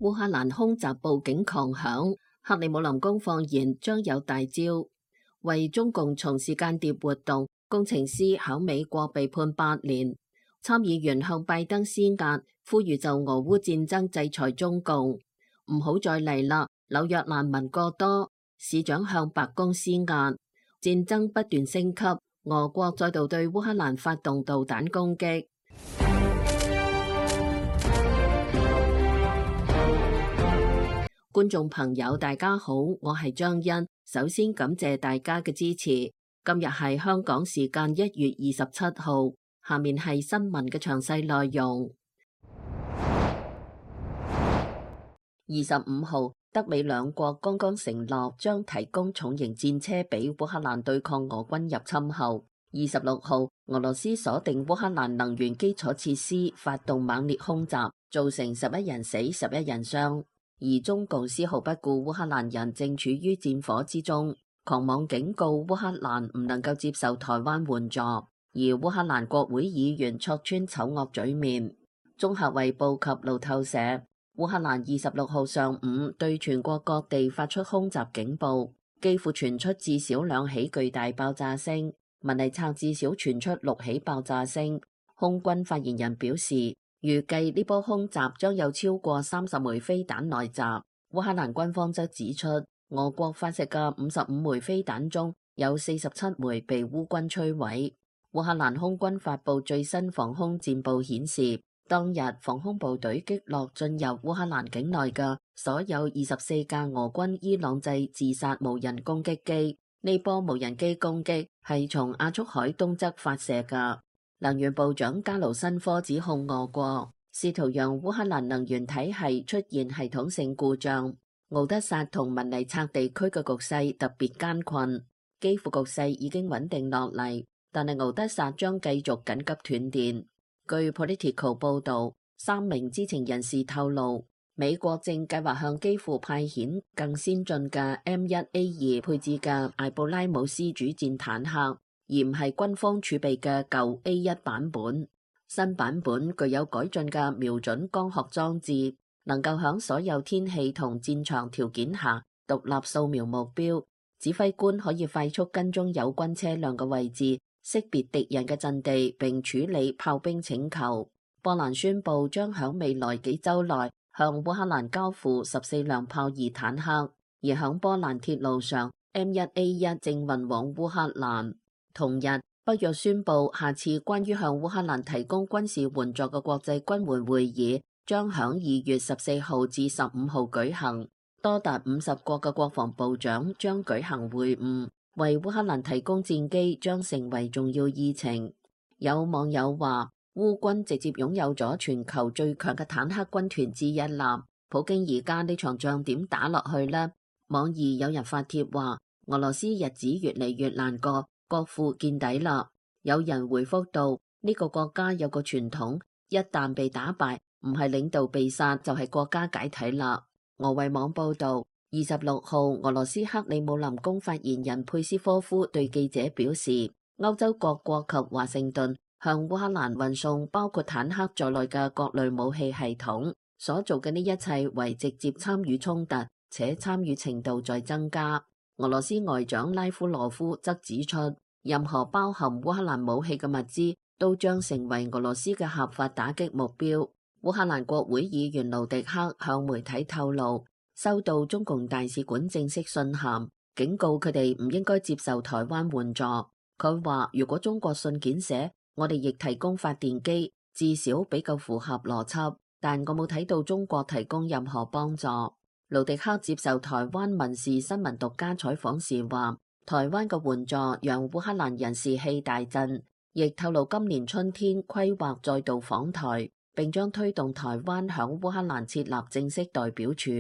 烏克蘭空襲報警狂響，克里姆林宮放言將有大招。為中共從事間諜活動，工程師響美國被判8年。參議員向拜登施壓，呼籲就俄烏戰爭制裁中共，唔好再嚟啦。紐約難民過多，市長向白宮施壓。戰爭不斷升級，俄國再度對烏克蘭發動導彈攻擊。觀眾朋友大家好，我係張欣，首先感謝大家嘅支持。今日係香港時間1月27號，下面係新聞嘅詳細內容。25號，德美兩國剛剛承諾將提供重型戰車俾烏克蘭對抗俄軍入侵後，26號，俄羅斯鎖定烏克蘭能源基礎設施，發動猛烈空襲，造成11人死、11人傷。而中共絲毫不顧烏克蘭人正處於戰火之中，狂妄警告烏克蘭唔能夠接受台灣援助，而烏克蘭國會議員戳穿醜惡嘴面。綜合衛報及路透社，烏克蘭26號上午對全國各地發出空襲警報，幾乎傳出至少2起巨大爆炸聲，文尼察至少傳出6起爆炸聲。空軍發言人表示，預計呢波空襲將有超過30枚飛彈來襲。烏克蘭軍方則指出，俄國發射嘅55枚飛彈中有47枚被烏軍摧毀。烏克蘭空軍發布最新防空戰報顯示，當日防空部隊擊落進入烏克蘭境內嘅所有24架俄軍伊朗製自殺無人攻擊機。呢波無人機攻擊係從亞速海東側發射嘅。能源部長加盧申科指控俄國試圖讓烏克蘭能源體系出現系統性故障。敖德薩同文尼察地區嘅局勢特別艱困，基輔局勢已經穩定落嚟，但係敖德薩將繼續緊急斷電。據 Politico 報導，3名知情人士透露，美國正計劃向基輔派遣更先進嘅 M1A2 配置嘅艾布拉姆斯主戰坦克，而唔係軍方儲備嘅舊 A1 版本。新版本具有改進嘅瞄準光學裝置，能夠響所有天氣同戰場條件下獨立掃描目標。指揮官可以快速跟蹤友軍車輛嘅位置，識別敵人嘅陣地，並處理炮兵請求。波蘭宣布將響未來幾週內向烏克蘭交付14輛豹二坦克，而響波蘭鐵路上 M1A1 正運往烏克蘭。同日，北約宣布下次關於向烏克蘭提供軍事援助嘅國際軍援會議將響2月14號至15號舉行，多達50國嘅國防部長將舉行會晤，為烏克蘭提供戰機將成為重要議程。有網友話，烏軍直接擁有咗全球最強嘅坦克軍團之一啦，普京而家呢場仗點打落去呢？網易有人發帖話，俄羅斯日子越嚟越難過，國父見底啦。有人回覆到，呢個國家有個傳統，一旦被打敗，唔係領導被殺就係國家解體啦。俄衛網報道，26號俄羅斯克里姆林宮發言人佩斯科夫對記者表示，歐洲各國及華盛頓向烏克蘭運送包括坦克在內嘅各類武器系統，所做嘅呢一切為直接參與衝突，且參與程度在增加。俄羅斯外長拉夫羅夫則指出，任何包含烏克蘭武器嘅物資都將成為俄羅斯嘅合法打擊目標。烏克蘭國會議員盧迪克向媒體透露，收到中共大使館正式信函，警告佢哋唔應該接受台灣援助。佢話，如果中國信件寫我哋亦提供發電機，至少比較符合邏輯，但我冇睇到中國提供任何幫助。盧迪克接受台灣民事新聞獨家採訪時話，台灣嘅援助讓烏克蘭人士氣大振，亦透露今年春天規劃再度訪台，並將推動台灣響烏克蘭設立正式代表處。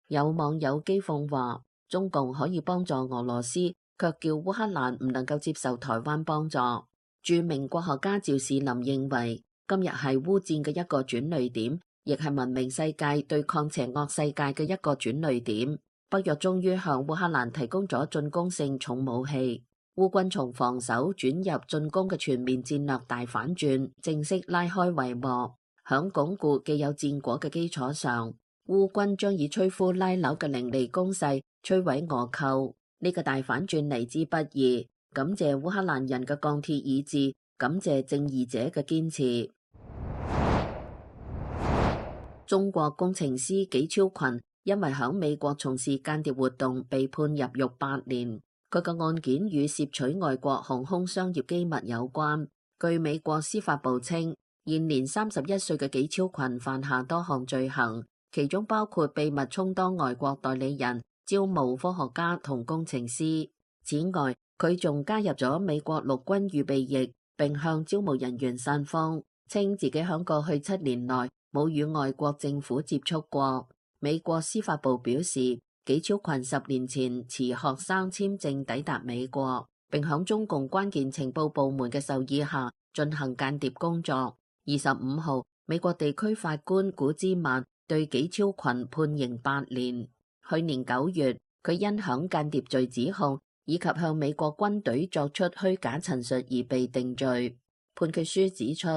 有網友譏諷話，中共可以幫助俄羅斯，卻叫烏克蘭唔能夠接受台灣幫助。著名國學家趙士林認為，今日係烏戰嘅一個轉捩點，亦係文明世界對抗邪惡世界嘅一個轉捩點。北約終於向烏克蘭提供咗進攻性重武器，烏軍從防守轉入進攻嘅全面戰略大反轉，正式拉開帷幕。響鞏固既有戰果嘅基礎上，烏軍將以摧枯拉朽嘅凌厲攻勢摧毀俄寇。呢個大反轉嚟之不易，感謝烏克蘭人嘅鋼鐵意志，感謝正義者嘅堅持。中國工程師紀超群因為響美國從事間諜活動被判入獄8年，佢嘅案件與竊取外國航空商業機密有關。據美國司法部稱，現年31歲嘅紀超群犯下多項罪行，其中包括秘密充當外國代理人，招募科學家同工程師。此外，佢仲加入咗美國陸軍預備役，並向招募人員散風，稱自己響過去7年內冇與外國政府接觸過。美國司法部表示，紀超群10年前持學生簽證抵達美國，並響中共關鍵情報部門嘅授意下進行間諜工作。25號，美國地區法官古茲曼對紀超群判刑8年。去年9月，佢因響間諜罪指控以及向美國軍隊作出虛假陳述而被定罪。判決書指出，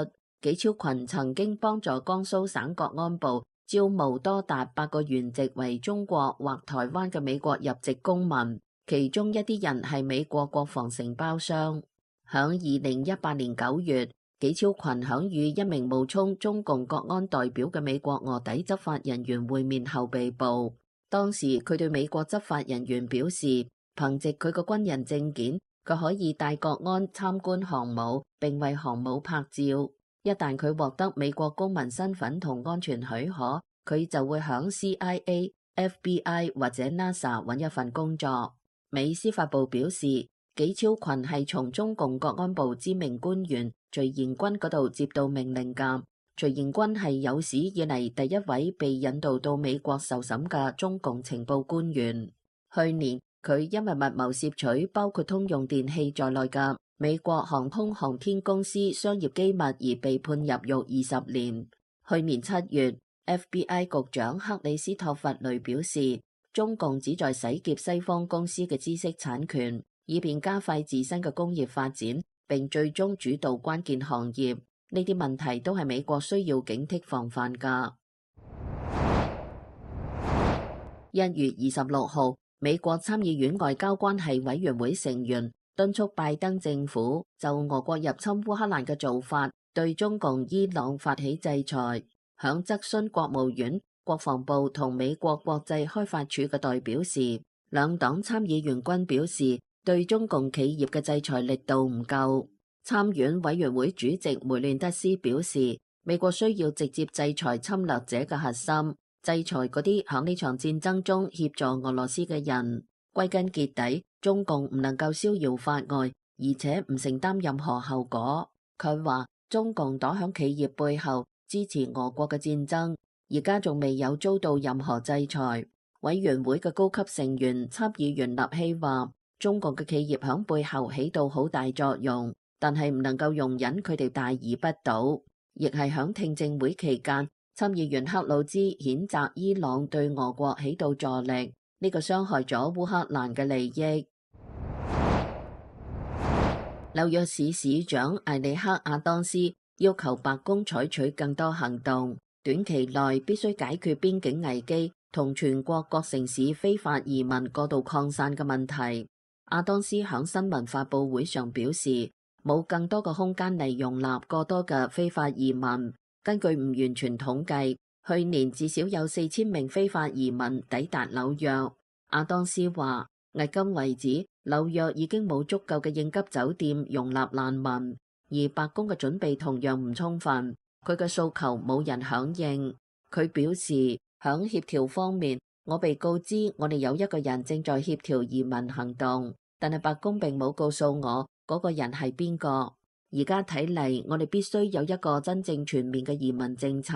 紀超群曾經幫助江蘇省國安部招募多達8個原籍為中國或台灣嘅美國入籍公民，其中一啲人係美國國防承包商。響2018年9月，紀超群響與一名冒充中共國安代表嘅美國臥底執法人員會面後被捕。當時佢對美國執法人員表示，憑藉佢個軍人證件，佢可以帶國安參觀航母，並為航母拍照。一旦佢獲得美國公民身份同安全許可，佢就會響 CIA、FBI 或者 NASA 揾一份工作。美司法部表示，紀超群係從中共國安部知名官員徐延軍嗰度接到命令㗎。徐延軍係有史以嚟第一位被引渡到美國受審嘅中共情報官員。去年佢因為密謀竊取包括通用電器在內嘅美國航空航天公司商業機密而被判入獄20年。去年7月， FBI 局長克里斯托弗雷表示，中共旨在洗劫西方公司嘅知識產權，以便加快自身嘅工業發展，並最終主導關鍵行業。呢啲問題都係美國需要警惕防範㗎。1月26號，美國參議院外交關係委員會成員敦促拜登政府就俄國入侵烏克蘭嘅做法對中共伊朗發起制裁。響質詢國務院、國防部同美國國際開發署嘅代表時，兩黨參議員均表示對中共企業嘅制裁力度唔夠。參院委員會主席梅亂德斯表示，美國需要直接制裁侵略者嘅核心，制裁嗰啲響呢場戰爭中協助俄羅斯嘅人。歸根結底，中共唔能夠逍遙法外，而且唔承擔任何後果。佢話中共躲響企業背後支持俄國嘅戰爭，而家仲未有遭到任何制裁。委員會嘅高級成員參議員納希話，中共嘅企業響背後起到好大作用，但係唔能夠容忍佢哋大而不倒。亦係響聽證會期間，參議員克魯茲譴責伊朗對俄國起到助力，呢個傷害咗烏克蘭嘅利益。紐約市市長艾利克亞當斯要求白宮採取更多行動，短期內必須解決邊境危機同全國各城市非法移民過度擴散嘅問題。亞當斯響新聞發佈會上表示，冇更多嘅空間嚟容納過多嘅非法移民。根據唔完全統計，去年至少有4000名非法移民抵達紐約。亞當斯話，迄今為止，紐約已經冇足夠嘅應急酒店容納難民，而白宮嘅準備同樣唔充分。佢嘅訴求冇人響應。佢表示，響協調方面，我被告知我哋有一個人正在協調移民行動，但係白宮並冇告訴我嗰個人係邊個。而家睇嚟，我哋必須有一個真正全面嘅移民政策。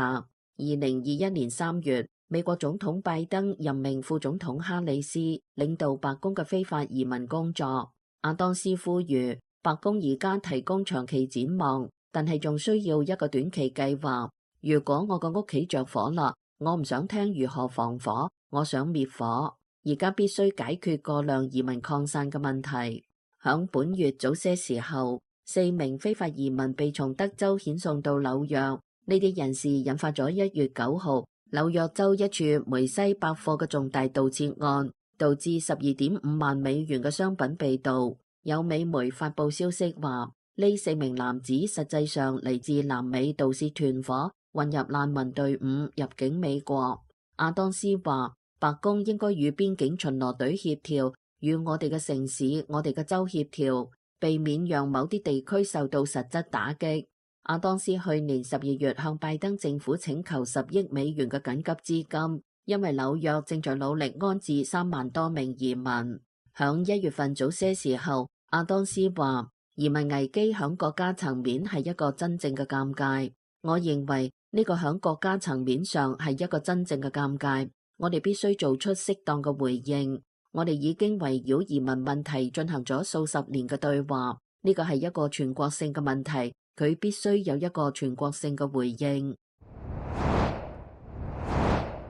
2021年3月，美國總統拜登任命副總統哈里斯領導白宮嘅非法移民工作。亞當斯呼籲白宮而家提供長期展望，但係仲需要一個短期計劃。如果我個屋企着火啦，我唔想聽如何防火，我想滅火。而家必須解決過量移民擴散嘅問題。響本月早些時候，4名非法移民被從德州遣送到紐約。呢啲人士引發咗1月9號紐約州一處梅西百貨嘅重大盜竊案，導致12.5萬美元嘅商品被盜。有美媒發布消息話，呢4名男子實際上嚟自南美盜竊團伙，混入難民隊伍入境美國。亞當斯話，白宮應該與邊境巡邏隊協調，與我哋嘅城市、我哋嘅州協調，避免讓某啲地區受到實質打擊。亞當斯去年12月向拜登政府請求10億美元嘅緊急資金，因為紐約正在努力安置3萬多名移民。響1月份早些時候，亞當斯話，移民危機響國家層面係一個真正嘅尷尬。我認為呢個響國家層面上係一個真正嘅尷尬，我哋必須做出適當嘅回應。我哋已經圍繞移民問題進行咗數十年嘅對話，呢個係一個全國性嘅問題。佢必須有一個全國性嘅回應。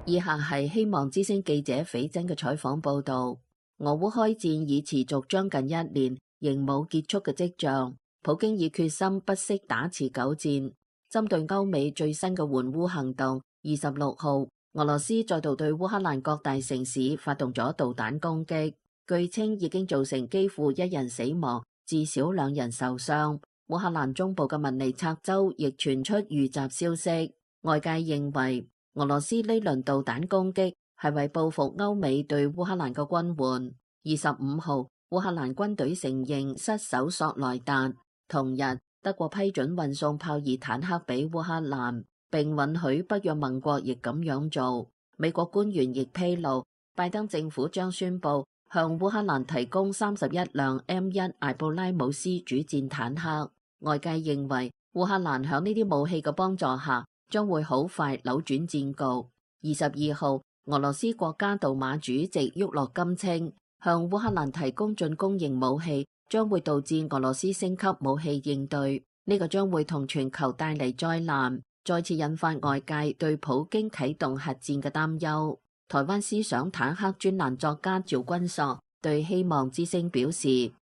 以下係希望之聲記者斐真嘅採訪報道。俄烏開戰已持續將近1年，仍冇結束嘅跡象。普京已決心不惜打持久戰。針對歐美最新嘅援烏行動，26號，俄羅斯再度對烏克蘭各大城市發動咗導彈攻擊，據稱已經造成幾乎1人死亡，至少2人受傷。烏克蘭中部嘅文尼察州亦傳出遇襲消息，外界認為俄羅斯呢輪導彈攻擊係為報復歐美對烏克蘭嘅軍援。25號，烏克蘭軍隊承認失守索萊達。同日，德國批准運送豹二坦克俾烏克蘭，並允許北約盟國亦咁樣做。美國官員亦披露，拜登政府將宣布向烏克蘭提供31輛 M1 艾布拉姆斯主戰坦克。外界認為烏克蘭響呢啲武器嘅幫助下，將會好快扭轉戰局。22號，俄羅斯國家杜馬主席沃洛金稱，向烏克蘭提供進攻型武器將會導致俄羅斯升級武器應對，呢個將會同全球帶嚟災難，再次引發外界對普京啟動核戰嘅擔憂。台灣思想坦克專欄作家趙君朔對希望之聲表示，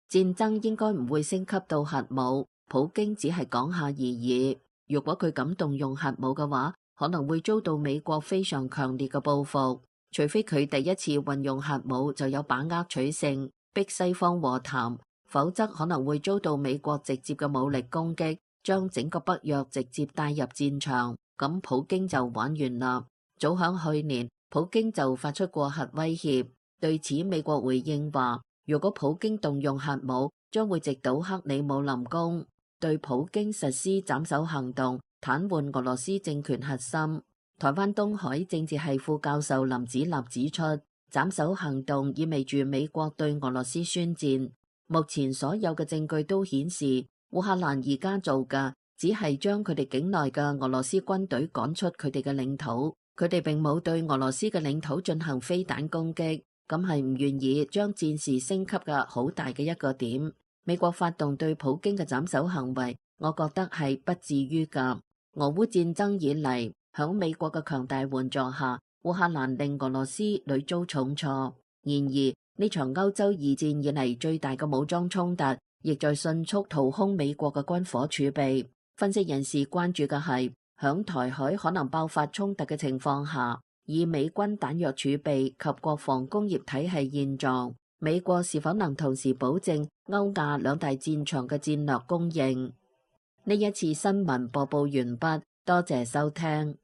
戰爭應該唔會升級到核武。普京只係講下而已，如果佢敢動用核武嘅話，可能會遭到美國非常強烈嘅報復。除非佢第一次運用核武就有把握取勝，逼西方和談，否則可能會遭到美國直接嘅武力攻擊，將整個北約直接帶入戰場，咁普京就玩完啦。早響去年，普京就發出過核威脅，對此美國回應話，如果普京動用核武，將會直搗克里姆林宮，對普京實施斬首行動，癱瘓俄羅斯政權核心。台灣東海政治系副教授林子立指出，斬首行動意味住美國對俄羅斯宣戰。目前所有嘅證據都顯示，烏克蘭而家做嘅只係將佢哋境內嘅俄羅斯軍隊趕出佢哋嘅領土，佢哋並冇對俄羅斯嘅領土進行飛彈攻擊，咁係唔願意將戰事升級嘅好大嘅一個點。美國發動對普京嘅斬首行為，我覺得係不至於㗎。俄烏戰爭以嚟，響美國嘅強大援助下，烏克蘭令俄羅斯屢遭重挫。然而呢場歐洲二戰以嚟最大嘅武裝衝突，亦在迅速掏空美國嘅軍火儲備。分析人士關注嘅係，響台海可能爆發衝突嘅情況下，以美軍彈藥儲備及國防工業體系現狀，美國是否能同時保證歐亞兩大戰場嘅戰略供應？呢一次新聞播報完畢，多謝收聽。